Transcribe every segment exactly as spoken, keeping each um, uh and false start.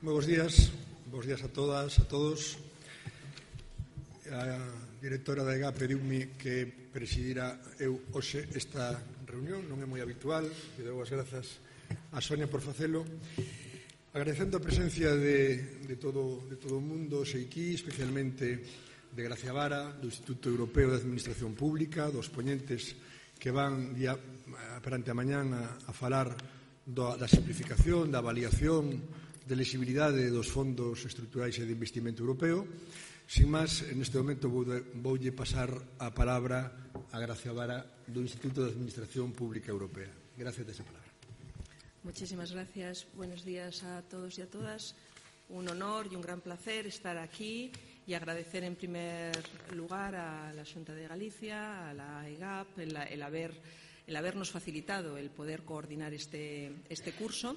Moi bons días, bons días a todas, a todos. A directora da E G A pediume que presidira eu hoxe esta reunión, non é moi habitual, e dou as grazas a Sonia por facelo. Agradecendo a presencia de, de, todo, de todo o mundo, Seiquí, especialmente de Gracia Vara, do Instituto Europeo de Administración Pública, dos poñentes que van día, perante a mañán a, a falar do, da simplificación, da avaliación, de lexibilidade dos fondos estruturais e de investimento europeo. Sin máis, neste momento voulle pasar a palabra a Gracia Vara do Instituto de Administración Pública Europea. Gracias, de esa palabra. Muchísimas gracias. Buenos días a todos y a todas. Un honor y un gran placer estar aquí y agradecer en primer lugar a la Xunta de Galicia, a la E G A P, el, el, haber, el habernos facilitado el poder coordinar este, este curso,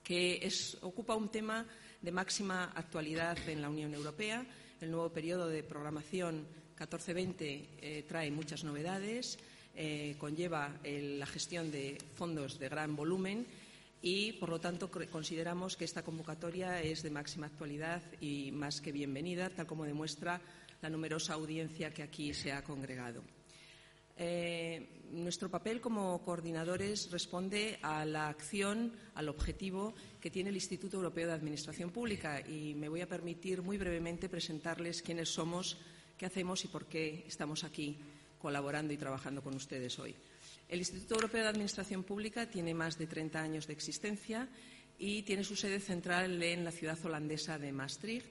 que es, ocupa un tema de máxima actualidad en la Unión Europea. El nuevo periodo de programación catorce veinte eh, trae muchas novedades, eh, conlleva el, la gestión de fondos de gran volumen y, por lo tanto, consideramos que esta convocatoria es de máxima actualidad y más que bienvenida, tal como demuestra la numerosa audiencia que aquí se ha congregado. Eh, nuestro papel como coordinadores responde a la acción, al objetivo que tiene el Instituto Europeo de Administración Pública, y me voy a permitir muy brevemente presentarles quiénes somos, qué hacemos y por qué estamos aquí colaborando y trabajando con ustedes hoy. El Instituto Europeo de Administración Pública tiene más de treinta años de existencia y tiene su sede central en la ciudad holandesa de Maastricht.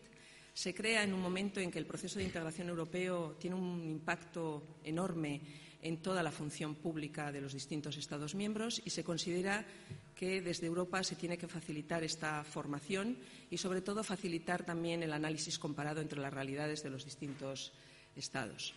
Se crea en un momento en que el proceso de integración europeo tiene un impacto enorme en toda la función pública de los distintos Estados miembros y se considera que desde Europa se tiene que facilitar esta formación y, sobre todo, facilitar también el análisis comparado entre las realidades de los distintos Estados.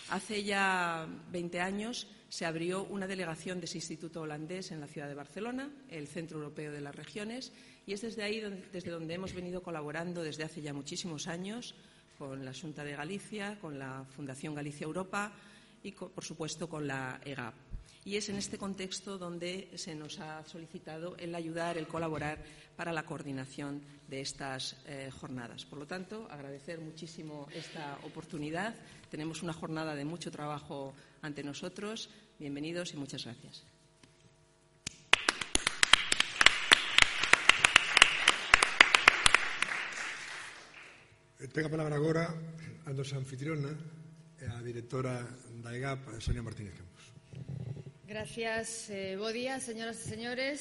Hace ya veinte años se abrió una delegación de ese instituto holandés en la ciudad de Barcelona, el Centro Europeo de las Regiones, y es desde ahí donde, desde donde hemos venido colaborando desde hace ya muchísimos años con la Xunta de Galicia, con la Fundación Galicia Europa y, por supuesto, con la E G A P. Y es en este contexto donde se nos ha solicitado el ayudar, el colaborar para la coordinación de estas eh, jornadas. Por lo tanto, agradecer muchísimo esta oportunidad. Tenemos una jornada de mucho trabajo ante nosotros. Bienvenidos y muchas gracias. Ten a palabra agora a nosa anfitriona, a directora da E G A P, Sonia Martínez Campos. Gracias. Eh, bo día, señoras e señores.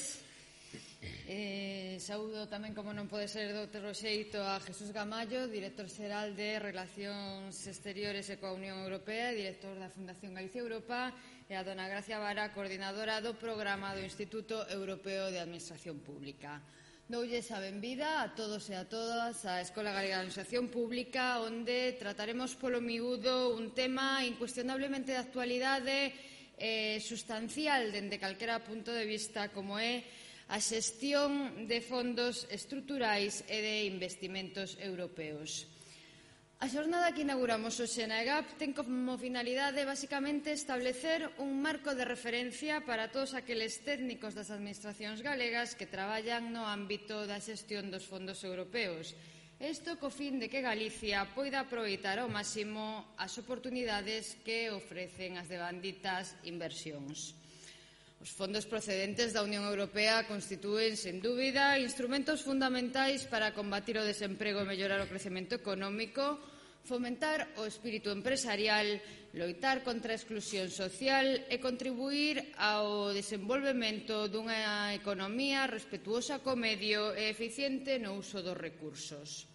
Eh, saúdo tamén, como non pode ser de outro xeito, a Jesús Gamallo, director xeral de Relacións Exteriores e coa Unión Europea, director da Fundación Galicia Europa, e a dona Gracia Vara, coordinadora do programa do Instituto Europeo de Administración Pública. Doulles a benvida a todos e a todas á Escola Galega de Administración Pública, onde trataremos polo miúdo un tema incuestionablemente de actualidade eh, sustancial dende calquera punto de vista, como é a xestión de fondos estruturais e de investimentos europeos. A xornada que inauguramos hoxe na E G A P ten como finalidade basicamente establecer un marco de referencia para todos aqueles técnicos das administracións galegas que traballan no ámbito da xestión dos fondos europeos. Isto co fin de que Galicia poida aproveitar ao máximo as oportunidades que ofrecen as devanditas inversións. Os fondos procedentes da Unión Europea constitúen, sen dúbida, instrumentos fundamentais para combatir o desemprego e mellorar o crecemento económico, fomentar o espírito empresarial, loitar contra a exclusión social e contribuír ao desenvolvemento dunha economía respetuosa co medio e eficiente no uso dos recursos.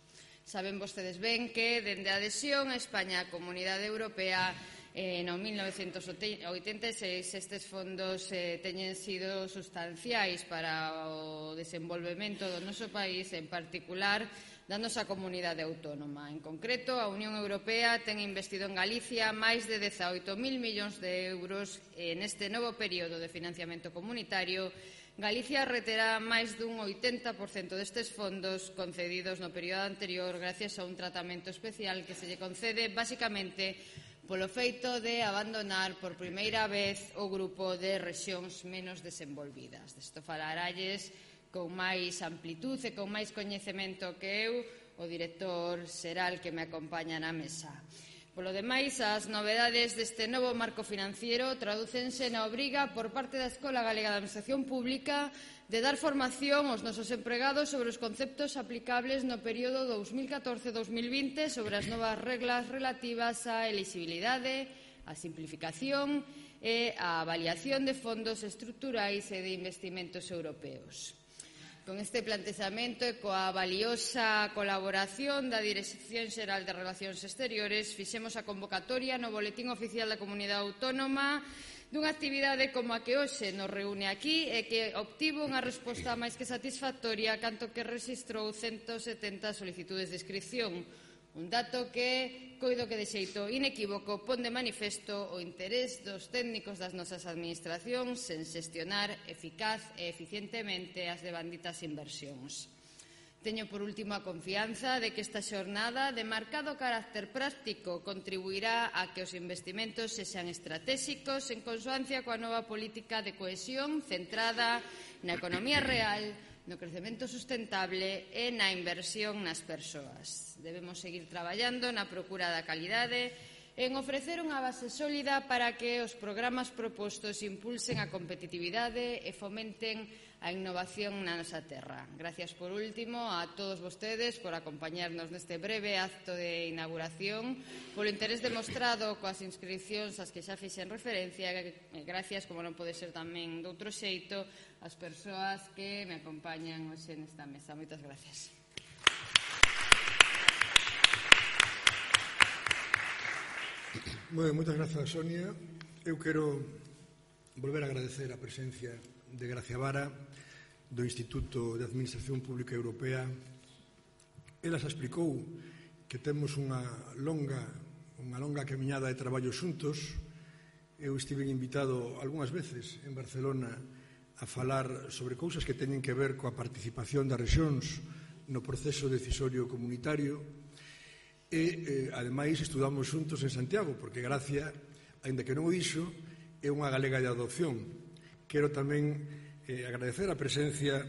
Saben vostedes ben que, dende a adhesión a España á Comunidade Europea, Eh, no mil novecentos oitenta e seis estes fondos eh, teñen sido sustanciais para o desenvolvemento do noso país, en particular da nosa comunidade autónoma. En concreto, a Unión Europea ten investido en Galicia máis de dezaoito mil millóns de euros e neste novo período de financiamento comunitario. Galicia reterá máis dun oitenta por cento destes fondos concedidos no período anterior gracias a un tratamento especial que se lle concede basicamente polo feito de abandonar por primeira vez o grupo de rexións menos desenvolvidas. Desto falaralles con máis amplitud e con máis coñecemento que eu o director xeral que me acompaña na mesa. Polo demais, as novedades deste novo marco financiero tradúcense na obriga por parte da Escola Galega de Administración Pública de dar formación aos nosos empregados sobre os conceptos aplicables no período dous mil catorce a dous mil vinte sobre as novas reglas relativas á elixibilidade, á simplificación e á avaliación de fondos estruturais e de investimentos europeos. Con este plantexamento e coa valiosa colaboración da Dirección Xeral de Relacións Exteriores fixemos a convocatoria no Boletín Oficial da Comunidade Autónoma dunha actividade como a que hoxe nos reúne aquí e que obtivo unha resposta máis que satisfactoria canto que rexistrou ciento setenta solicitudes de inscripción. Un dato que, coido que de xeito inequívoco, pon de manifesto o interés dos técnicos das nosas administracións en xestionar eficaz e eficientemente as devanditas inversións. Teño por último a confianza de que esta xornada de marcado carácter práctico contribuirá a que os investimentos sexan estratégicos en consoancia coa nova política de cohesión centrada na economía real, no crecemento sustentable e na inversión nas persoas. Debemos seguir traballando na procura da calidade e en ofrecer unha base sólida para que os programas propostos impulsen a competitividade e fomenten a innovación na nosa terra. Gracias por último a todos vostedes por acompañarnos neste breve acto de inauguración, polo interés demostrado coas inscripcións ás que xa fixen referencia e gracias, como non pode ser tamén doutro xeito, as persoas que me acompañan hoxe nesta mesa. Moitas gracias. Bueno, moitas grazas, Sonia. Eu quero volver a agradecer a presencia de Gracia Vara do Instituto de Administración Pública Europea. Ela xa explicou que temos unha longa, unha longa camiñada de traballo xuntos. Eu estive invitado algunhas veces en Barcelona a falar sobre cousas que teñen que ver coa participación das rexións no proceso decisorio comunitario e, eh, ademais, estudamos xuntos en Santiago, porque Gracia, aínda que non o dixo, é unha galega de adopción. Quero tamén eh, agradecer a presencia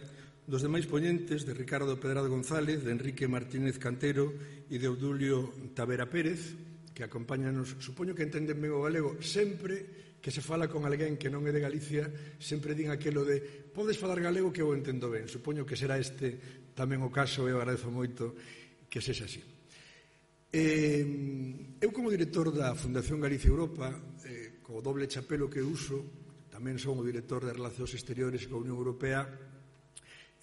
dos demais poñentes de Ricardo Pedrado González, de Enrique Martínez Cantero e de Obdulio Tavera Pérez, que acompáñanos, supoño que entenden ben o galego, sempre que se fala con alguén que non é de Galicia, sempre din aquelo de podes falar galego que eu entendo ben. Supoño que será este tamén o caso e eu agradezo moito que sexa así. Eh, eu como director da Fundación Galicia Europa, eh, co doble chapelo que uso, tamén son o director de Relacións Exteriores coa Unión Europea,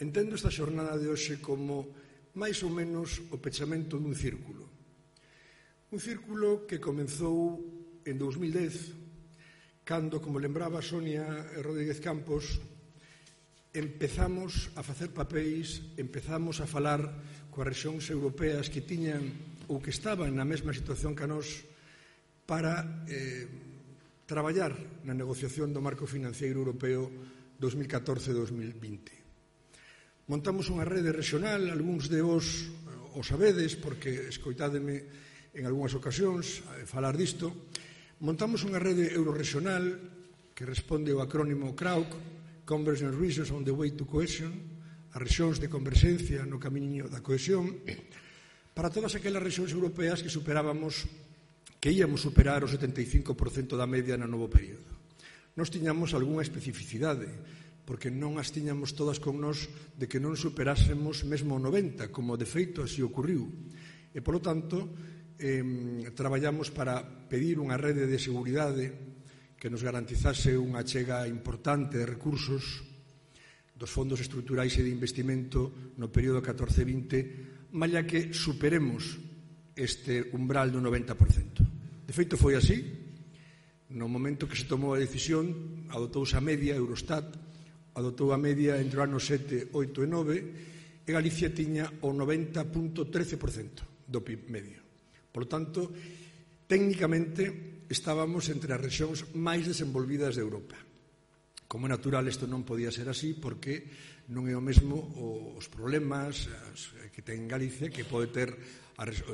entendo esta xornada de hoxe como máis ou menos o pechamento dun círculo. Un círculo que comezou en dous mil dez, cando, como lembraba Sonia Rodríguez Campos, empezamos a facer papéis, empezamos a falar coas rexións europeas que tiñan ou que estaban na mesma situación que a nós para eh, traballar na negociación do marco financiero europeo dos mil catorce a dos mil vinte. Montamos unha rede regional, algúns de vos o sabedes, porque escoitádeme en algunhas ocasións falar disto. Montamos unha rede eurorregional que responde ao acrónimo C R A U C, Convergence Regions on the Way to Cohesion, as rexións de converxencia no camiño da cohesión, para todas aquelas rexións europeas que superábamos, que íamos superar o setenta e cinco por cento da media no novo período. Nos tiñamos algunha especificidade, porque non as tiñamos todas con nós de que non superásemos mesmo o noventa, como de feito así ocurriu. E, polo tanto, eh, traballamos para pedir unha rede de seguridade que nos garantizase unha chega importante de recursos dos fondos estruturais e de investimento no período catorce vinte, malla que superemos este umbral do noventa por cento. De feito, foi así. No momento que se tomou a decisión, adotouse a media, Eurostat adotou a media entre o ano sete, oito e nove, e Galicia tiña o noventa vírgula trece por cento do P I B medio. Por lo tanto, técnicamente estábamos entre as rexións máis desenvolvidas de Europa. Como é natural, isto non podía ser así porque non é o mesmo os problemas que ten Galicia que pode ter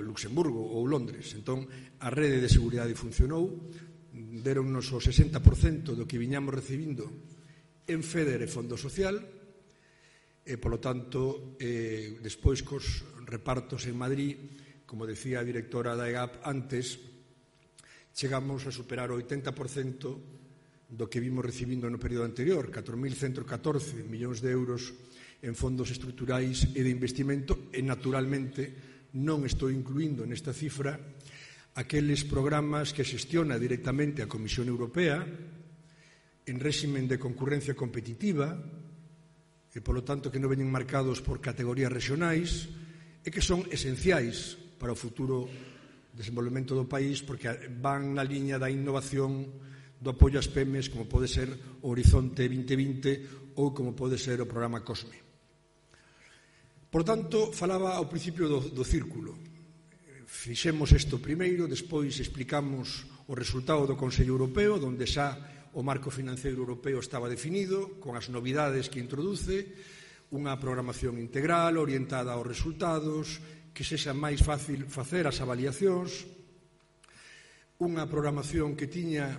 Luxemburgo ou Londres. Entón, a rede de seguridade funcionou, deronnos o sesenta por cento do que viñamos recibindo en FEDER e Fondo Social, e, polo tanto, eh, despois cos repartos en Madrid, como decía a directora da E G A P antes, chegamos a superar o oitenta por cento do que vimos recibindo no período anterior, catro mil ciento catorce millóns de euros en fondos estruturais e de investimento, e naturalmente non estou incluindo nesta cifra aqueles programas que xestiona directamente a Comisión Europea en réximen de concurrencia competitiva e, polo tanto, que non veñen marcados por categorías regionais e que son esenciais para o futuro desenvolvemento do país porque van na liña da innovación, do apoio ás P M Es, como pode ser o Horizonte vinte vinte ou como pode ser o programa COSME. Por tanto, falaba ao principio do, do círculo. Fixemos isto primeiro, despois explicamos o resultado do Consello Europeo, onde xa o marco financeiro europeo estaba definido, con as novidades que introduce, unha programación integral orientada aos resultados, que sexa máis fácil facer as avaliacións, unha programación que tiña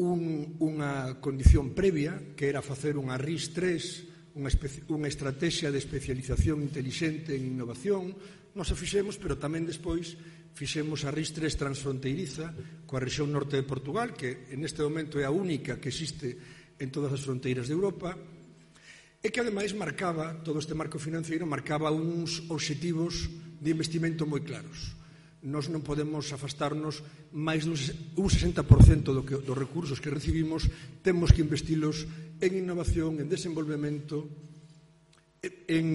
un, unha condición previa, que era facer unha R I S tres, unha, unha estrategia de especialización intelixente en innovación. Nos a fixemos, pero tamén despois fixemos a R I S tres transfronteiriza coa rexión norte de Portugal, que neste momento é a única que existe en todas as fronteiras de Europa, e que ademais marcaba, todo este marco financeiro marcaba uns obxectivos de investimento moi claros. Nós non podemos afastarnos máis dun sesenta por cento do que, dos recursos que recibimos, temos que investilos en innovación, en desenvolvemento, en,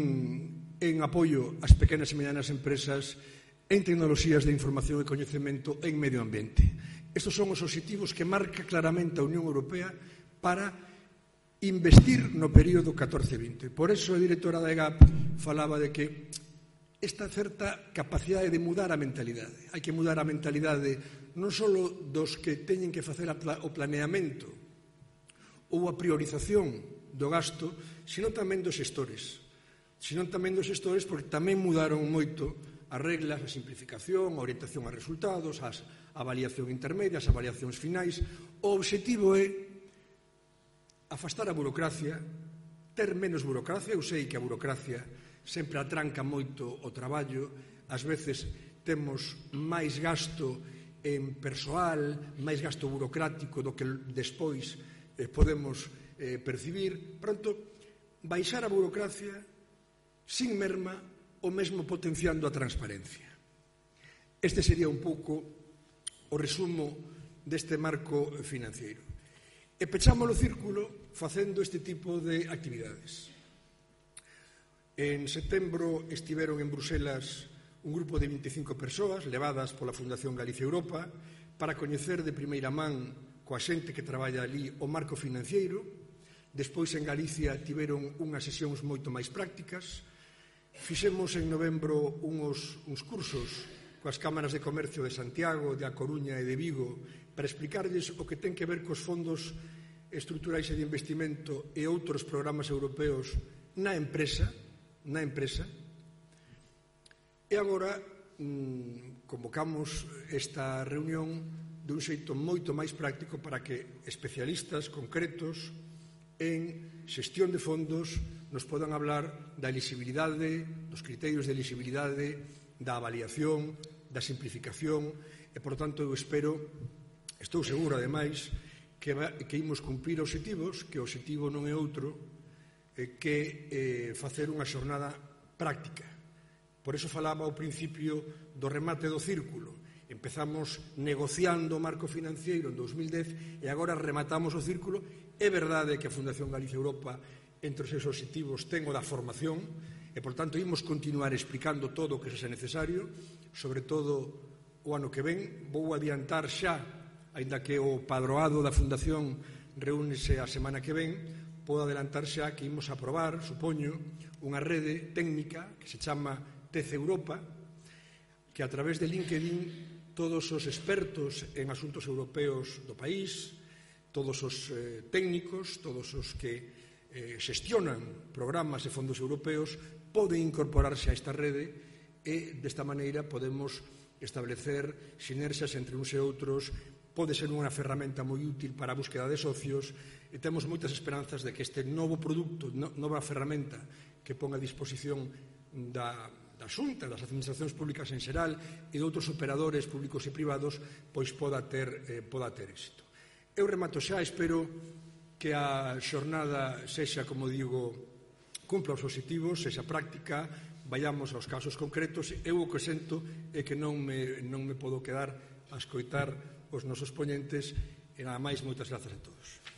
en apoio ás pequenas e medianas empresas, en tecnoloxías de información e coñecemento, en medio ambiente. Estos son os obxectivos que marca claramente a Unión Europea para investir no período catorce vinte. Por eso a directora da E G A P falaba de que esta certa capacidade de mudar a mentalidade. Hai que mudar a mentalidade non só dos que teñen que facer o planeamento ou a priorización do gasto, sino tamén dos xestores. Sino tamén dos xestores porque tamén mudaron moito as reglas, a simplificación, a orientación a resultados, a avaliación intermedia, as avaliacións finais. O obxectivo é afastar a burocracia, ter menos burocracia. Eu sei que a burocracia sempre atranca moito o traballo, ás veces temos máis gasto en persoal, máis gasto burocrático do que despois eh, podemos eh, percibir. Pronto, baixar a burocracia sin merma ou mesmo potenciando a transparencia. Este sería un pouco o resumo deste marco financeiro. E pechamos o círculo facendo este tipo de actividades. En setembro estiveron en Bruselas un grupo de vinte e cinco persoas levadas pola Fundación Galicia Europa para coñecer de primeira man coa xente que traballa ali o marco financeiro. Despois en Galicia tiveron unhas sesións moito máis prácticas. Fixemos en novembro uns, uns cursos coas cámaras de comercio de Santiago, de A Coruña e de Vigo para explicarlles o que ten que ver cos fondos estruturais e de investimento e outros programas europeos na empresa, na empresa. E agora mmm, convocamos esta reunión dun xeito moito máis práctico para que especialistas concretos en xestión de fondos nos podan hablar da elixibilidade, dos criterios de elixibilidade, da avaliación, da simplificación e, por tanto, eu espero, estou seguro, ademais, que, que imos cumprir obxectivos, que o obxectivo non é outro que eh, facer unha xornada práctica. Por iso falaba ao principio do remate do círculo. Empezamos negociando o marco financeiro en dous mil dez e agora rematamos o círculo. É verdade que a Fundación Galicia Europa, entre os seus obxectivos, ten o da formación e, por tanto, imos continuar explicando todo o que sexa necesario, sobre todo o ano que ven. Vou adiantar xa, aínda que o padroado da Fundación reúnese a semana que ven, podo adelantar xa que imos aprobar, supoño, unha rede técnica que se chama T E C Europa, que a través de LinkedIn todos os expertos en asuntos europeos do país, todos os eh, técnicos, todos os que eh, xestionan programas e fondos europeos poden incorporarse a esta rede e desta maneira podemos establecer sinerxias entre uns e outros. Pode ser unha ferramenta moi útil para a búsqueda de socios e temos moitas esperanzas de que este novo produto, no, nova ferramenta que pon a disposición da, da Xunta, das administracións públicas en xeral e de outros operadores públicos e privados, pois poda ter, eh, poda ter éxito. Eu remato xa, espero que a xornada sexa, como digo, cumpla os obxectivos, sexa práctica, vayamos aos casos concretos. Eu o que sento é que non me, non me podo quedar a escoitar os nosos poñentes e nada máis, moitas grazas a todos.